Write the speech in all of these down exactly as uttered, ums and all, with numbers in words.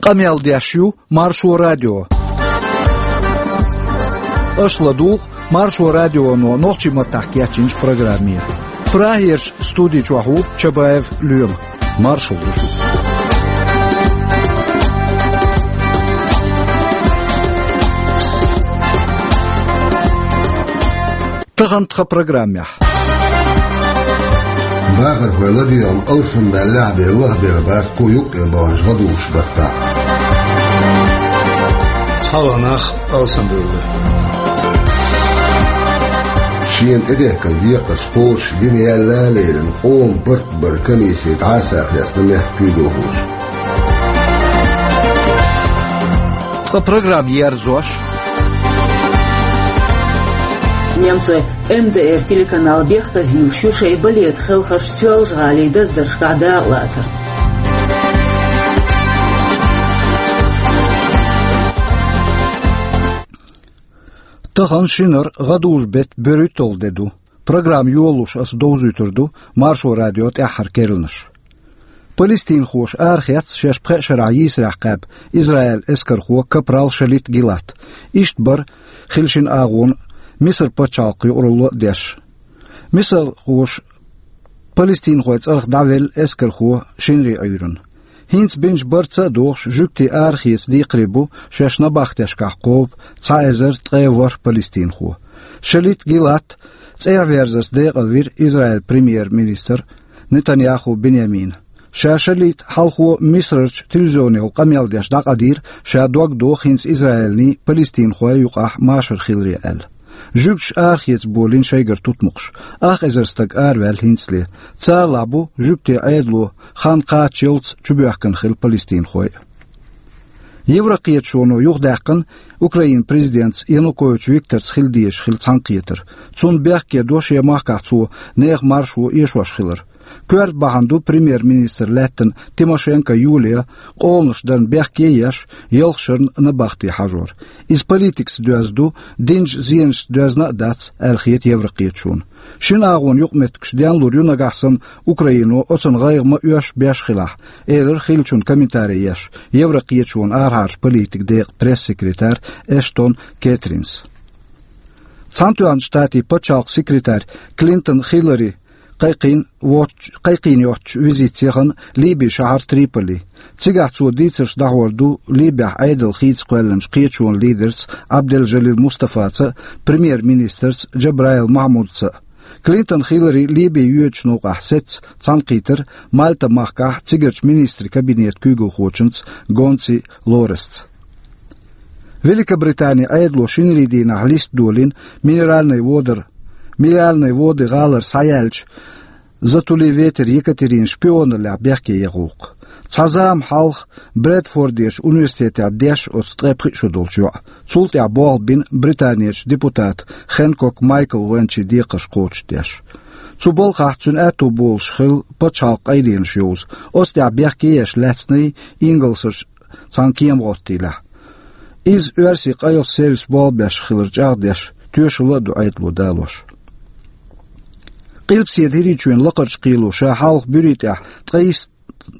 Къамел деш ю Маршо радио. Аша ладугӀу Маршо радионо нохчийн маттахь кечйинчу программе. Прагерчу студи чохь ву Чабаев Лоьма. Маршалла ду шуьга. Тахана тхан программехь. Бахархой ладегӀан алсамдаьллехь а бен лахбер бац кху юккъе баханчу гӀадужу баттахь. Цхьа а нах алсамбевлла. Шена тӀедехкина декхарш кхочуш дина яьлла а лерина, къоман барт бара комиссия дӀасахьесна мехкан куьйгалхочун. Ткъа программа ерзош. Немцойн М Д Р телеканал бехказйийш ю шайн балетан хелхарш Соьлжа-ГӀалин даздаршкахь дакъалацар. Тахана шинара гӀадужу беттан берхӀитталгӀа де ду. Программа йолалуш аса довзуьйтур ду Маршо радион тӀаьххьара керланаш. Палестинхоша арахецна шаьш пхеа шарахь йийсарехь кхаьбна Израилан эскархо капрал Шалит Гилат. Иштта бара хилла шина агӀонан Мисар пачхьалкхан юкъаралло а деш. Мисархоша палестинхойн цӀарах дӀавелла эскархо шинарин Ӏуьйранна. ХӀинца бинчу барца а догӀуш, жуьгтийн арахеца декхаре бу шаьш набахтешкахь кхобу цхьа эзар ткъе ворхӀ палестинхо. Шалит Гилат цӀехьаверзарца декъалвира Израилан премьер-министр Нетаньяху Биньямина. Ша Шалита хьалхо Мисарчу телевизионехула къамел деш дӀакъадийра, ша дог доху хӀинца Израилний палестинхойн юкъахь машар хиларе аьлла. Жуьгташа арахеца болийна шайгара тутмакхаш. Ах эзар стаг араваьлла хӀинцале. Царалахь бу жуьгтийн Ӏедало хан кхаччалц чубоьхкина хилла палестинхой а. Еврокхеташоно юхадаьккхина Украинан президентца Янукович Викторца хила дезаш хилла цхьаьнакхетар. Цунна бехке до шен махкахь цо нехан маршо эшош хилар. Коьрта бахьана ду премьер-министр лаьттина Тимошенко Юлия къоланаш дарна бехке а еш, ялх шарна набахте хьажор. Иза политикаца доьзна ду, динчу зенашца доьзна а дац, аьлла хета еврокхеташоно. Шина агӀонан юкъаметтигаш денлур ю нагахь санна Украино оцунна гӀайгӀа ма оьшу беш хилахь, элира хиллачунна комментари еш еврокхеташонан арахьарчу политикан декъан пресс-секретарь Эштон Кэтринс. Цхьаьнатоьхначу Штатийн пачхьалкхан секретарь Клинтон Хиллари кхайкхийна воцчу, кхайкхийна йоцчу визитаца яхана Ливин шахьар Триполи. Цигахь цо дийцарш дӀахьор ду Ливехь Ӏедал хийца кхоьллинчу кхеташонан лидерца Абдел-Жалил Мустафаца а, премьер-министрца Джабраил Махьмудца а. Клинтон Хиллари Ливин йоьдучу новкъахь сецна цхьаьнакхийтира Мальта-махкахь цигарчу министрийн кабинетан куьйгалхочуьнца Гонци Лоресца. Великобританин Ӏедало шинарин дийнахь листа долийна Минеральные воды, Минеральные воды гӀалара схьаяьллачу Затули-Ветер Екатерина шпионаллехь бехке ян гӀуллакх. Цхьа зама хьалха Брэдфордерчу университетехь деш оцу ткъе пхи шо долчу йоӀа. Цул тӀаьхьа болх бина Британерчу депутата Хэнкок Майкла вайначийн декхарш кхочушдеш. Цу балхахь цуьнан аьтту болуш хилла пачхьалкхан къайленаш йовза. Оцу тӀехь бехке еш лаьцна и Ингалсерчу цхьана кема гӀоттийлехь. Иза оьрсийн къайлахчу сервисан болх беш хилар чӀагӀдеш, тоьшалла а ду Ӏедало далош. Къилбаседа ХӀирийчоьнан лакхарчу кхело ша хьалха буьрий тӀехь ткъе исс,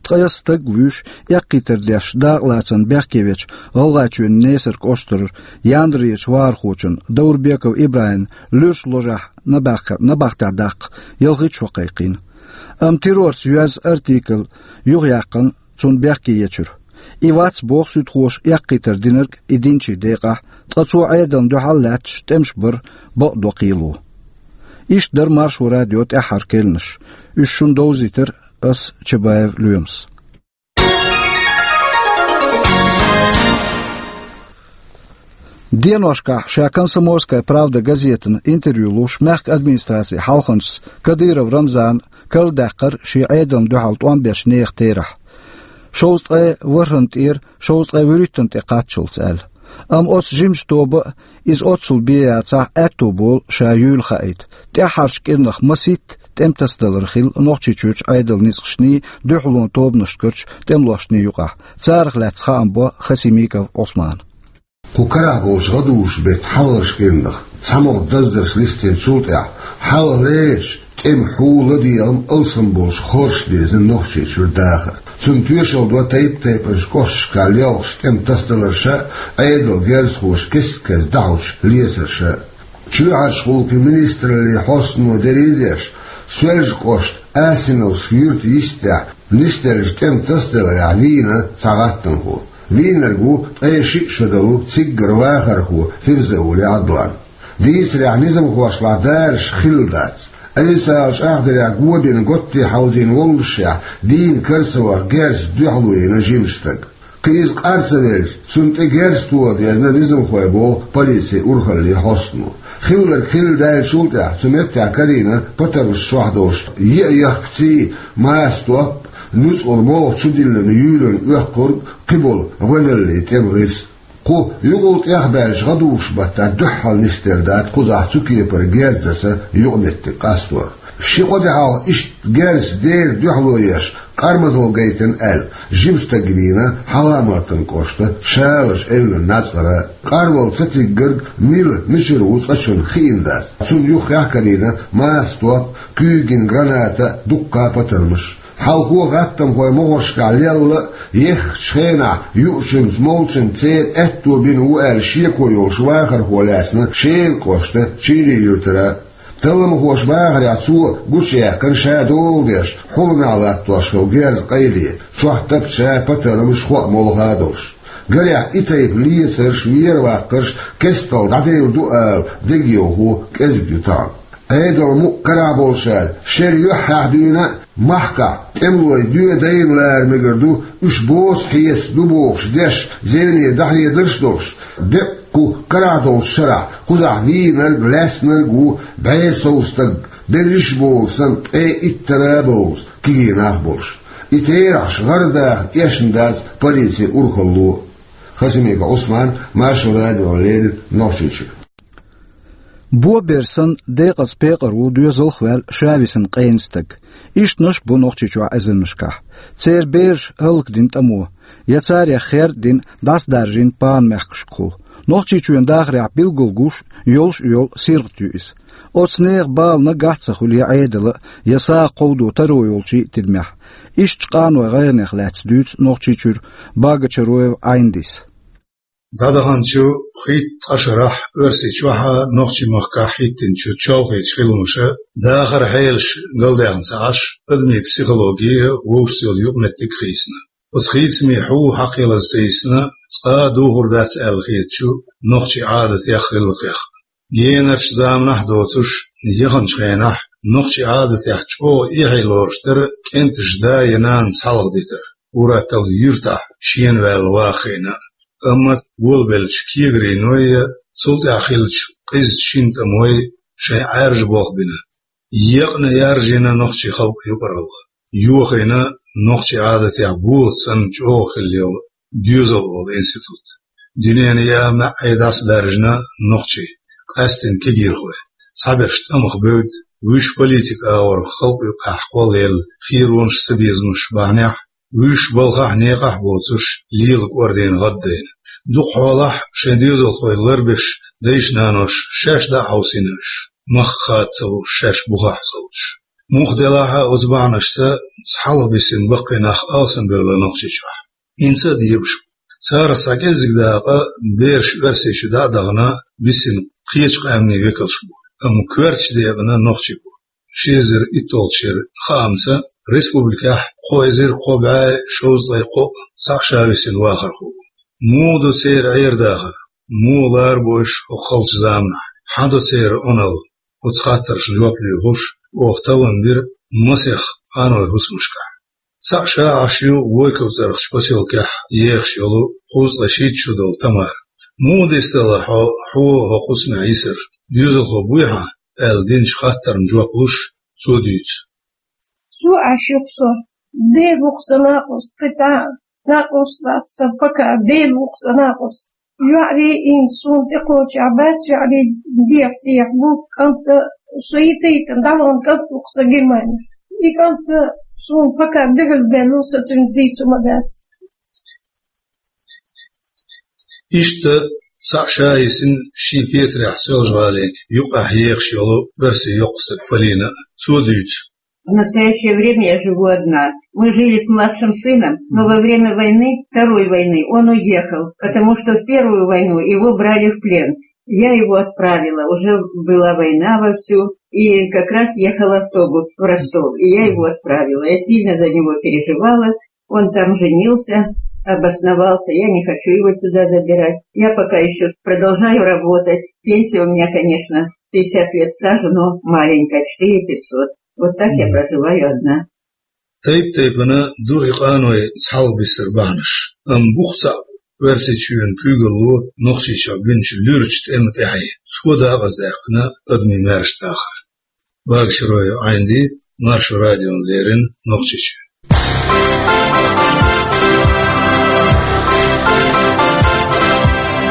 ткъе исс стаг вуьйш, эккхийтар деш дакъалацарна бехке вечу ГӀалгӀайчоьнан Несар кӀоштара Яндарерчу вахархочун Даурбеков ИбрахӀиман луьрачу ложехь набахка-, набахтехь даккха ялхитта шо кхайкхийна. Амма террорца йоьзна артикл юхаяьккхина цунна бехке ечуьра. И вац, боху суьдхоша, эккхийтар динарг и динчийн декъахь, ткъа цо Ӏедална дуьхьал а лаьтташ тӀемаш бар бакъдо кхело. Иштта дара Маршо радион тӀаьххьара керланаш. Уьш шуна довзийтира ас, Чабаев Лоьмас. Деношкахь ша «Комсомольская правда» газетана интервью луш мехкан администрацин хьалханчас Кадыров Рамзана карладаьккхира шен Ӏедална дуьхьал тӀом бечу нехан терахь. Шовзткъе ворхӀанна тӀера шовзткъе вуьрхӀиттанна тӀе кхаччалц аьлла. Амма оцу жимачу тоба а, иза оццул бен яцахь, аьтту болу ша юйла хаийта. ТӀаьххьарчу кӀирнах масийтта тӀеман тасадалар хилла Нохчийчуьрчу Ӏедалан ницкъашний, дуьхьалонан тобанашкарчу тӀемалошний юкъахь. Царах лаьцна хаам бо Хасимиков Ӏусмана. Кху карахь болчу гӀадужу беттан хьалхарчу кӀирнах цхьа могӀа даздарш листийначул тӀаьхьа, хьалха лерачу тӀеман хьул, ладегӀам алсам болуш хоржуш дирзина Нохчийчуьра дахар. Цунна тоьшалла до тайп-тайпанчу кӀошташкахь лелхаш тӀеман тасадаларша а, Ӏедалан герзахоша кест-кеста дӀахьочу лецарша а. Чоьхьарчу гӀуллакхийн министраллин хьостано дерриг а деш, Соьлжа-кӀоштан Асиновски юьртан йистехь нисделлачу тӀеман тасадаларехь вийна цхьа гӀаттамхо. Вийнарг ву ткъе шиъ шо долу циггара вахархо Фирзаули Ӏадлан. Дийцарехь, низамхошлахь дараш хилла дац. Ӏийсала чӀагӀдарехь, го бина готте хьовзийна воллушехь, дийна кара ца ваха герзаца дуьхьало йина жима стаг. Кхин иза къар ца велча, цунна тӀе герз тоха дезна низамхой, боху полицин урхаллин хьостано. Хилларг хилла даьллачул тӀаьхьа цу меттехь карийна патармаш чохь долуш, йиъ яхкаций, маса топ, нуьцкъала болх чудиллина юьйлина оьккхург, кхиболу гӀоьналлин тӀеман гӀирс. Кху юкъал тӀехбаьллачу гӀадужу баттахь дуьххьал нисделла дац кхузахь цу кепара герзаца юкъаметтиг къастор. Ши-кхо де хьалха иштта герзаца дера дуьхьало еш, къармазалла гайтина аьлла, жима стаг вийна Хьаламатан кӀоштан Шалаш эвлан нацкъара. Къарвала ца тиггарг мила, мичара ву цкъачунна хиъна дац. Цунна юххехь карийна маса топ, куьйган граната а, дуккха а патармаш. Хьалхо гӀаттамхой могӀаршкахь лелла а, еххачу хенахь юучуьнца, молчуьнца церан аьтто бина ву аьлла шеко йолуш вахархо лаьцна Шелан кӀоштан Чийрин юьртара. Талламхоша бахарехь, цо гучуяьккхина ша дола деш, хьуланехь латтош хилла герз къайле, чохь тапча патармаш, хӀоъ молха а долуш. Гарехь, и тайпа лецарш, вера-ваккхарш кестта дӀадевр ду ала дегайовхо кӀезиг ю тахана. Ӏедалан мукъ карахь болчара шеран юьххьехь дуьйна а, махкахь тӀемалой доьдайна лара мегар ду, уьш боцу хьеца ду бохуш деш, зене дӀахьедарш а долуш, деккъа кху карахь долчу шарахь кхузахь вийнарг, лаьцнарг а ву бӀе сов стаг, берриш а бовлу санна, ткъе иттара а бовзу кегий нах а болуш. И терахьаш гӀара даха эшна дац полицин урхалло. Хасимиков Ӏусман, Маршо радиона леррина, Нохчийчуьра. Бо бер санна, декъаза пекъар ву доьзалх а ваьлла, ша висина къена стаг. Ишттанаш а бу Нохчийчохь эзарнашкахь. Церан бераш хӀаллакдина тӀамо, я царех хер а дина, дӀасадаржийна пана мехкашкахула. Нохчийчоьнан дахарехь билггал гуш, йолуш а йолу сиргӀат ю иза. Оцу нехан бала наггахь а ца хуьлу я Ӏедалан а, я сагӀа кховдо таро йолчийн а тидамехь. Ишттачу къанойн гӀайгӀанех лаьцна дуьйцу Нохчийчуьра Багачароева Ӏайндис. ДӀадаханчу хӀитта ткъа шарахь Оьрсийчохь а, Нохчийн махкахь а хӀиттинчу чолхечу хиламаша дахаран хьелаш галдаьхна ца Ӏаш, адамийн психологи а, вовшашца йолу юкъаметтиг а хийцина. Оцу хийцамийн хьу хьакхелаза ца йисна, цкъа а духур дац аьлла хетачу нохчийн Ӏадатех, гӀиллакхех. Генарчу заманахь а доцуш, яханчу хенахь нохчийн Ӏадатехь чӀогӀа эхье лоруш дара кӀентан да я нана цхьалха дитар, ур-атталла юьртахь шена ваьлла ваха хиъна а. Амма волабеллачу кегарийн ной я цул тӀаьхьа хиллачу къизачу шина тӀамой шайн Ӏаьржа болх бина. Екъна яржийна нохчийн халкъан юкъаралла. Йохийна нохчийн Ӏадатехь болат санна чӀогӀа хилла йолу доьзал олу институт. Дуьненан яа маьӀӀе дӀасабаьржина нохчий, къаьсттина кегийрхой. Цхьаберш тӀамах бевдда, вуьш политикан агӀор халкъан юкъахь кхоллаелла херонаш, цабезамаш бахьанехь, вуьш балхахь а, некъахь а боцуш, лела кӀордийна, гӀаддайна. Дукха хьолахь шайн доьзалхой ларбеш, дайша-наноша шаьш дӀа а хьовсийна уьш, махка хада ца лууш, шаьш бухахь совцуш. Муха делахь а, оцу бахьанашца цхьалха бисина баккхий нах алсамбевлла Нохчийчохь. ХӀинца а дебаш бу. Царах цхьа кӀеззиг дакъа бераш Оьрсийчу дӀа а дахана, бисина кхечу къаьмнийн векалш бу, амма коьртачу декъана нохчий бу. Ши эзар итталгӀачу шеран хаамца, республикехь кхо эзар кхо бӀе шовзткъе кхоъ цхьаъ ша висина вахархо ву. Муха ду церан Ӏер-дахар? Муха ларбо уьш хӀокху халчу заманахь? Хьан до церан Ӏуналла? Оцу хаттаршна жоп лоьхуш, оха таллам бира масех къаной хӀусамашкахь. Цхьаъ ша Ӏаш ю Войков цӀарахчу посёлкехь ехаш йолу кхузткъе шийтта шо долу Тамара. Муха дистала хьо, хьо хӀокху хӀусамехь йисар? Доьзалхо буй хьан? аьлла динчу хаттарна жоп луш, цо дуьйцу. Со Ӏаш ю-кх со. Дела ву-кх сан накъост, кхин цхьа накъост вац сан пока, Дела ву-кх сан накъост. ЙоӀарий, и суна тӀекхочехь бац, йоӀарий дех-сех бу, кӀант а со йитайтина, дӀалон кӀант ву-кх сан Германехь. И кӀант а суна пока дуьхьал бен ву, сан цуьнца дийцур ма дац. Иштта цхьаъ ша йисина шен петарехь Соьлжа-ГӀалин юккъехь ехаш йолу оьрсийн йоккха стаг Полина а. Цо дуьйцу. В настоящее время я живу одна. Мы жили с младшим сыном, но во время войны, второй войны, он уехал, потому что в первую войну его брали в плен. Я его отправила, уже была война вовсю, и как раз ехал автобус в Ростов, и я его отправила. Я сильно за него переживала. Он там женился, обосновался, я не хочу его сюда забирать. Я пока еще продолжаю работать. Пенсия у меня, конечно, пятьдесят лет стажа, но маленькая, четыре пятьсот. Вот так я проживаю одна. Тайп-тайпана ду и къаной цхьалгӀа бисар бахьанаш. Ам бух цаӀ Оьрсийчоьнан куьйгалло Нохчийчохь бинчу луьрачу тӀеман тӀаьхье. Цо дакъаздаьккхина адамийн маьрша дахар. Багашрой Ӏайнди, Маршо радион леррина Нохчийчоь.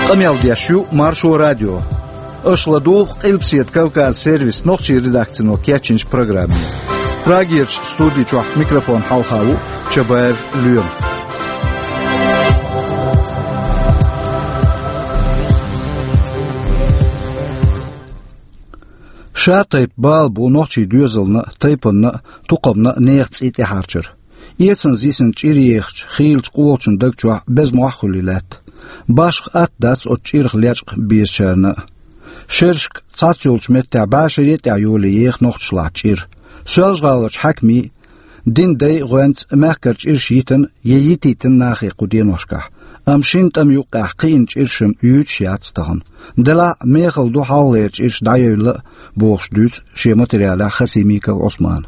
Къамел деш ю Маршо радио. Аша ладугӀу Къилбаседа Кавказ сервис нохчийн редакцино кечйинчу программе. Прагерчу студи чохь микрофон хьалха ву Чабаев Лоьма. Ша тайпа бала бу нохчийн доьзална а, тайпанна а, тукхамна а нехан цӀий тӀехьарчар. Эцанза йисина чӀир ехачу хийлачу къолгӀачун даг чохь беза мохь а хуьлий лаьтта. Башха атта дац оцу чӀирах лечкъа безачарна а. Шерашка цхьацца йолчу меттехь бӀешаре а тӀехь йолий еха нохчашлахь чӀир. Соьлжа-ГӀаларчу хьаькамийн а, динан дайн а гӀоьнца мехкара чӀираш йитина я йитийтина нахе кху деношкахь. Амма шина тӀамна юккъехь кхиъна чӀираш-м юьйцуш яц тахана. Делахь а мехала ду хьалхалера чӀираш дӀайевлла а, бохуш дуьйцу шен материалехь Хасимиков Ӏусмана.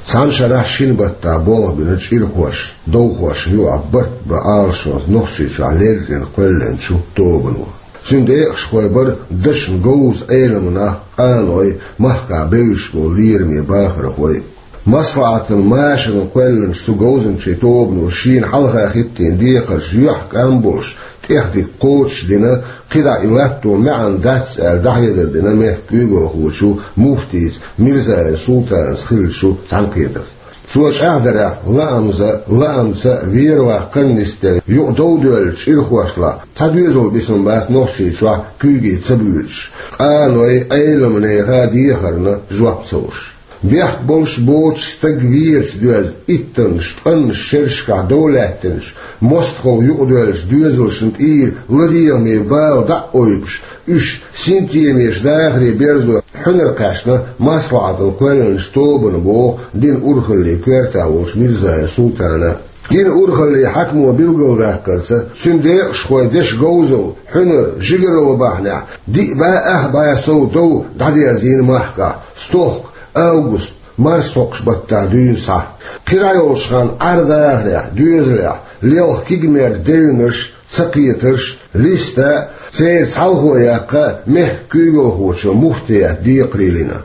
Цхьана шарахь шина баттахь болх бина чӀирхошна, довхошна юкъахь барт бан Ӏалашонца Нохчийчохь леррина кхоьллинчу тобано. Цуьнан декъашхой бара дашна говза Ӏеламнах, къаной, махкахь бевзаш болу лераме бахархой. Маслахьатан машарна кхоьллинчу цу говзанчийн тобано шена хьалха хӀиттийна декхарш юьхькӀам болуш, тӀех дика кхочуш дина, кхидӀа и латто маьӀна дац аьлла дӀахьедар дина мехкан куьйгалхочо муфтийца Мирзаев Султанца хиллачу цхьаьнакхетарца. Цо чӀагӀдарехь, лаамза, лаамца вер-ваккха нисделла юкъа дов доьллачу чӀирхошлахь цхьа доьзал бисина бац Нохчийчохь куьйге ца буьйцуш, къаной, Ӏеламнехан дехарна жоп ца луш. Бехк болуш боцуш стаг верца доьзна, иттаннаш, ткъаннаш шерашкахь дов лаьттинчу, мостагӀалла юкъадоьллачу доьзалшна тӀера ладегӀаме бала дӀа а ойпуш, уьш синтемеша дахаре берзо хьуьнар кхаьчна маслахьатана кхоьллинчу тобано, боху динан урхаллин коьртехь волчу Мирзаев Султана. Динан урхаллин хьаькамо билгалдаккхарца, цуьнан декъашхойн дешан говзалла, хьуьнар, жигаралла бахьанехь, диъ бӀе ах бӀе сов дов дӀадерзийна махкахь, стохка, август, марс хьокхучу баттахь дуьйна схьа. КхидӀа йолчу ханна Ӏар-дахарехь, доьзалехь, лелха кегамерчу девнаш, цакхетарш, листа, церан цхьалхо яккха мехкан куьйгалхочо муфтиятан декхарийлина.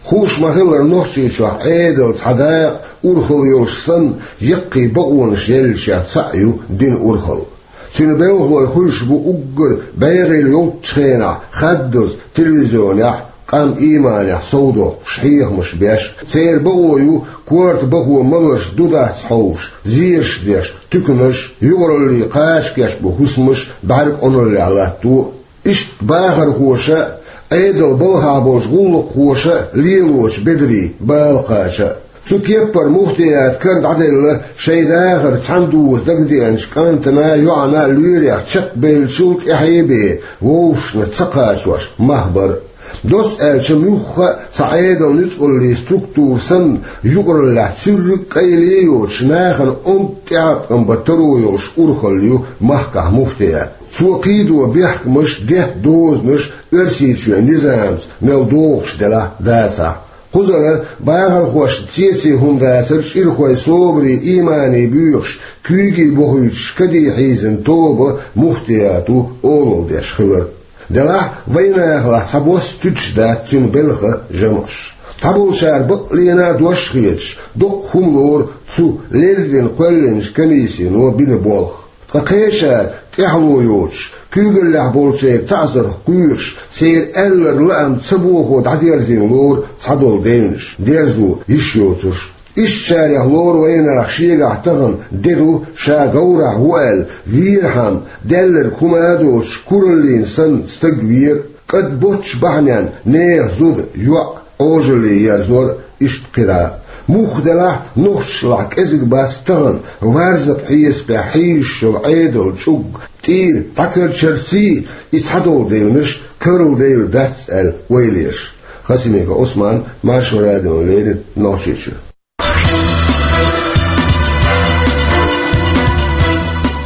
Хууш ма-хиллара, Нохчийчохь Ӏедалан цхьа дакъа, урхалла йолуш санна, яккхий бакъонаш еллачех цхьаъ ю динан урхалла. Цуьнан белхалой хуьлуш бу уггар бегӀийла йолччу хенахь хаддаза телевизионехь, къам ийманехь совдоккхуш, хьехамаш беш. Церан бакъо ю корта бахо маларш ду-дац хьовсуш, зераш деш, туьканаш, юкъараллин кхача кечбан хӀусамаш бӀаьрг къуналлехь латто. Иштта бахархоша а, Ӏедалан балхахь болчу гӀуллакххоша а лелочу бедарийн бала кхача а. Цу кеппара муфтиятан кара дӀаделла шайн дахар цхьаьна дуза дагадеанчу кӀантана а, йоӀана а лоьрех чекхбевллачул тӀаьхье а бен, вовшашна ца кхачош мах бара. Доцца аьлча, муьлхха а цхьа Ӏедалан нуьцкъаллин структура санна, юкъараллехь цуьрриг а къайле а йоцуш, нахана онда тӀеӀаткъам бан таро йолуш урхалла ю махкахь муфтият. Цо кхийдо бехкамаш, детта дозанаш Оьрсийчоьнан низамца мел догӀуш делахь а, дацахь а. Кхузара бахархошна цеций хӀума дацара чӀирхойн собаре, иймане боьхуш, куьйге бохуьйтуш, каде хьийзина тоба муфтиято олалла деш хилар. Делахь а, вайнахалахь цхьабосса туьдуш дац цуьнан белхан жамӀаш. Цхьаболчара баккъалла а дош хеташ, доккха хӀума лору цу леррина кхоьллинчу комиссино бина болх. Ткъа кхечара, тӀаьхьало йоцуш, куьйгаллехь болчеран таӀзарх кхоьруш, церан аьлларг лаам ца бохо дӀадерзийна лору цхьадолу девнаш, дерзо йиш йоцурш. Ишттачарех лору вайнах шегахь тахана де ду, ша говрахь ву аьлла, вийрхьама, даьлларг хӀума а доцуш, кураллина санна стаг вера, кӀад боцчу бахьаненна нехан зуда, йоӀ, Ӏожалле ерзор, иштта кхидӀа а. Муха делахь а, нохчашлахь кӀезиг бац тахана варзапа хьесапехь хьийзаш йолу Ӏедалан чӀуг, тӀера дӀакарчарций, и цхьадолу деланаш карладелла дац аьлла вай леш. Хасимиков Ӏусман, Маршо радиона леррина, Нохчийчуьра.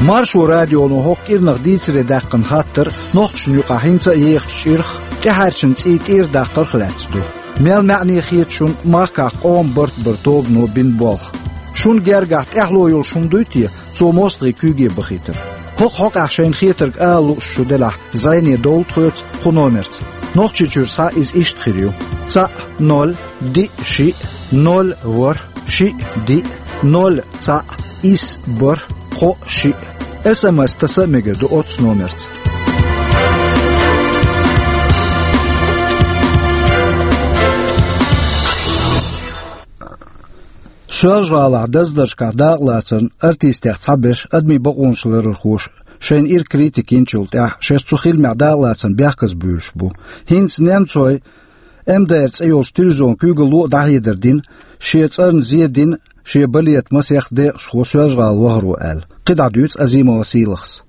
Маршо радионо хӀокху кӀирнах дийцаре даьккхина хаттар нохчашна юкъахь хӀинца а ехачу чӀирх, тӀаьхьарчун цӀий тӀера даккхарх лаьцна ду. Мел маьӀне хета шуна махкахь къоман барт баран тобано бина болх? Шуна гергахь тӀаьхьало йолуш хӀума дуй те цо мостагӀийн куьйге бахийтар? ХӀокху хьокъехь шайна хетарг ала лууш шу делахь, зӀене довла тхоьца кху номерца. Нохчийчуьра схьа иза иштта хир ю: цхьаъ, ноль, диъ, шиъ, ноль, ворхӀ, шиъ, диъ, ноль, цхьаъ, исс, бархӀ, кхоъ, шиъ. СМС таса а мегар ду оццу номерца. Соьлжа-ГӀалахь даздаршкахь дакъалацарна артистех цхьаберш, адамийн бакъонаш ларархоша, шайна ирча критика йинчул тӀаьхьа шаьш цу хиламехь дакъалацарна бехказбуьйлуш бу. ХӀинца немцойн МДР цӀе йолчу телевизионан куьйгалло а дӀахьедар дина, шен цӀарна зе дина шен балетан масех декъашхо Соьлжа-ГӀала вахаро аьлла. КхидӀа дуьйцу Азимова Сийлахьас.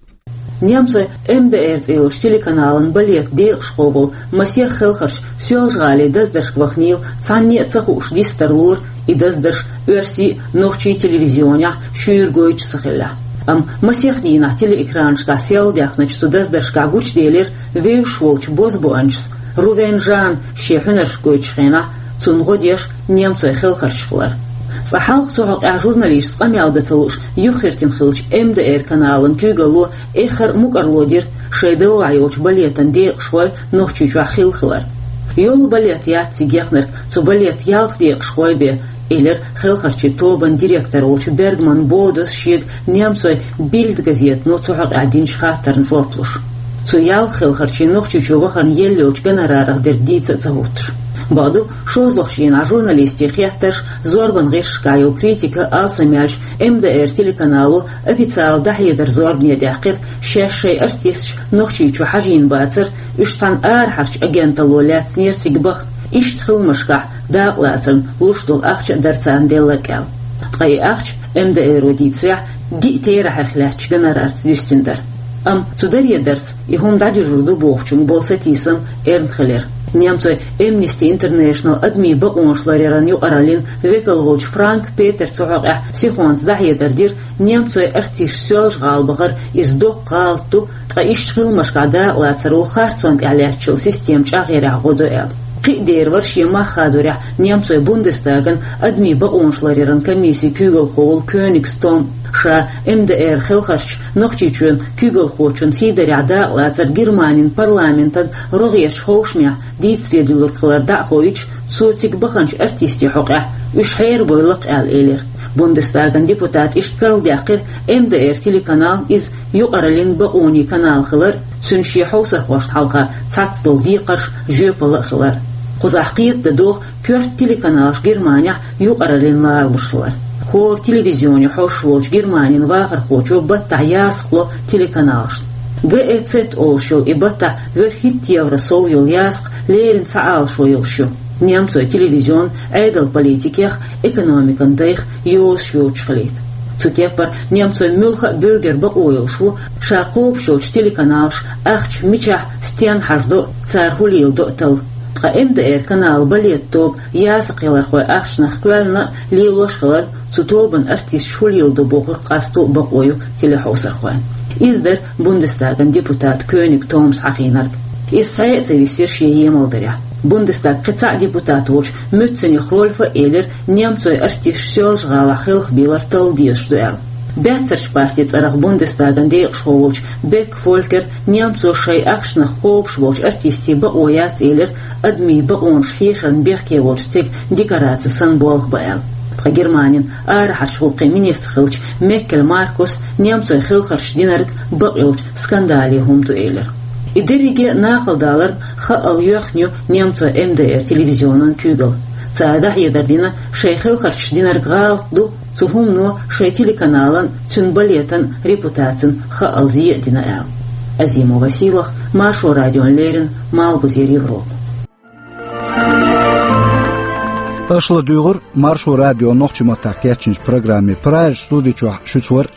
Немцойн МДР цӀе йолчу телеканалан балетан декъашхо волу масех хелхарча Соьлжа-ГӀалин даздаршка ваханийла, цхьанне а ца хууш дистар лора и даздарш оьрсийн а, нохчийн телевизионехь а шуьйра гойтуш ца хиллехь. Амма масех дийнахь телеэкранашкахь сел даьхначу цу даздаршкахь гучуделира вевзаш волчу бозбуунчаша, Рувен Жанна шен хьуьнарш гойтучу хенахь, цунна гӀо деш немцойн хелхарчаш хилар. Цкъа хьалха цу хьокъехь журналисташца къамел дан ца лууш юххертина хиллачу МДР каналан куьйгалло эххар а мукӀарло дира шайн довлахь йолчу балетан декъашхой Нохчийчохь хилла хилар. Йолу балет яц цига яхнарг, цу балетан ялх декъашхой бен, элира хелхарчийн тобан директор волчу Бергман Бодос шега немцойн Бильд газетано цу хьокъехь динчу хаттарна жоп луш. Цу ялх хелхарчийн Нохчийчу вахарна елла йолчу гонорарах дерг дийца а ца хӀуттуш. Бакъду, шозлагӀчу дийнахь журналистийн хеттарш, зорбан гӀирсашкахь йолу критика алсам яьлча, МДР телеканало официалан дӀахьедар зорбане даьккхира, шаьш шайн артисташ Нохчийчу хьажийна бацара, уьш цхьана арахьарчу агенталло лаьцнера цига баха, иштта хиламашкахь дакъалацарна луш долу ахча а дара царна делларг аьлла. Ткъа и ахча, МДР-о дийцарехь, диъ терахьех лаьттачу гонорарца дуьстина дара. Амма цу даре дарца и хӀума дӀадуьжур ду бохучуьнга болу сатийсам эрна хилира. Немцойн Amnesty International адамийн бакъонаш ларъяран юкъараллин векал волчу Франк Петера цу хьокъехь сихонца дӀахьедар дира, немцойн артисташ Соьлжа-ГӀала бахар иза доккха гӀалат ду, ткъа иштта хиламашкахь дакъалацаро харцонна тӀехь лаьттачу системан чӀагӀъярехь гӀо до аьлла. Кхин а дера вара шен мах хадорехь немцойн Бундестаган адамийн бакъонаш ларъяран комиссин куьйгалхо волу Кёнигс Том. Ша МДР хелхарчаша Нохчийчоьнан куьйгалхочун сийдарехь дакъалацар Германин парламентан рогӀерчу ховшамехь дийцаре дуьллург хилар дӀа а хоуьйтуш, цо цига баханчу артистийн хьокъехь уьш хьерабойла-кх аьлла элира. Бундестаган депутата иштта карладаьккхира МДР телеканална иза юкъараллин бакъонийн канал хилар, цуьнан шен хьовсархошна хьалха цхьацца долу декхарш жоьпалла а хилар. Кхузахь кхетадан догӀу коьрта телеканалш Германехь юкъараллин ларалуш хилар. ХӀора телевизионе хьожуш волчу Германин вахархочо баттахь ясакх ло телеканалшна. ГЭЦ олуш йолу и баттахь вуьрхӀитта евро сов йолу ясакх леррина цхьа Ӏалашо йолуш ю, немцойн телевизион Ӏедалан политикех, экономикан дайх йозуш йоцуш хилийта. Цу кеппара немцойн муьлхха а буьргера бакъо йолуш ву ша кхобуш йолчу телеканалша ахча мичахь, стенна хьажадо а, цара хӀун леладо а талла. Ткъа МДР каналан балетан тоба ясакхъялархойн ахчанах кхоьллина а, лелош а хиларна, цу тобан артисташа хӀун леладо бохург къасто а бакъо ю телехьовсархойн. Иза дара Бундестаган депутата Кёниг Томас хьахийнарг. Иза цхьаъ а ца висира шен емалдарехь. Бундестаган кхин цхьа депутат волчу Мюценех Рольфа а элира, немцойн артисташ Соьлжа-ГӀалахь хелхабийлар талла дезаш ду аьлла. Баьццарчу партин цӀарах Бундестаган декъашхо волчу Бек Фолькера немцоша шайн ахчанах кхобуш болчу артистийн бакъо яц элира, адамийн бакъонаш хьешарна бехке волчу стеган декораци санна болх бан аьлла. Ткъа Германин арахьарчу гӀуллакхийн министр хиллачу Меккель Маркуса немцойн хелхарчаша динарг бакъйолчу скандале хӀума ду элира. И дерриге а накъалдаларна хаъал йоьхна ю немцойн МДР телевизионан куьйгалла. Цара дӀахьедар дина, шайн хелхарчаша динарг гӀалат ду, цу хӀумано шайн телеканалан, цуьнан балетан репутацина хаъал зе а дина аьлла. Азимова Сийлахь, Маршо радиона леррина, Малхбузера Европа. Аша ладугӀур Маршо радион нохчийн маттахь кечйинчу программе. Прагера студи чохь шуьца вара